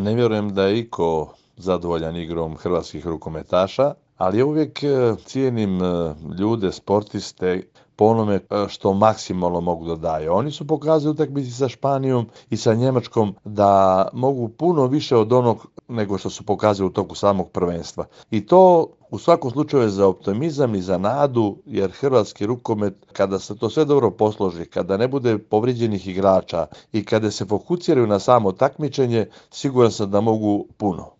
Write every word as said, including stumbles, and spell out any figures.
Ne vjerujem da je iko zadovoljan igrom hrvatskih rukometaša, ali ja uvijek e, cijenim e, ljude, sportiste po onome e, što maksimalno mogu da daju. Oni su pokazali u utakmici sa Španijom i sa Njemačkom da mogu puno više od onog nego što su pokazali u toku samog prvenstva. I to u svakom slučaju je za optimizam i za nadu, jer hrvatski rukomet, kada se to sve dobro posloži, kada ne bude povrijeđenih igrača i kada se fokusiraju na samo takmičenje, siguran sam da mogu puno.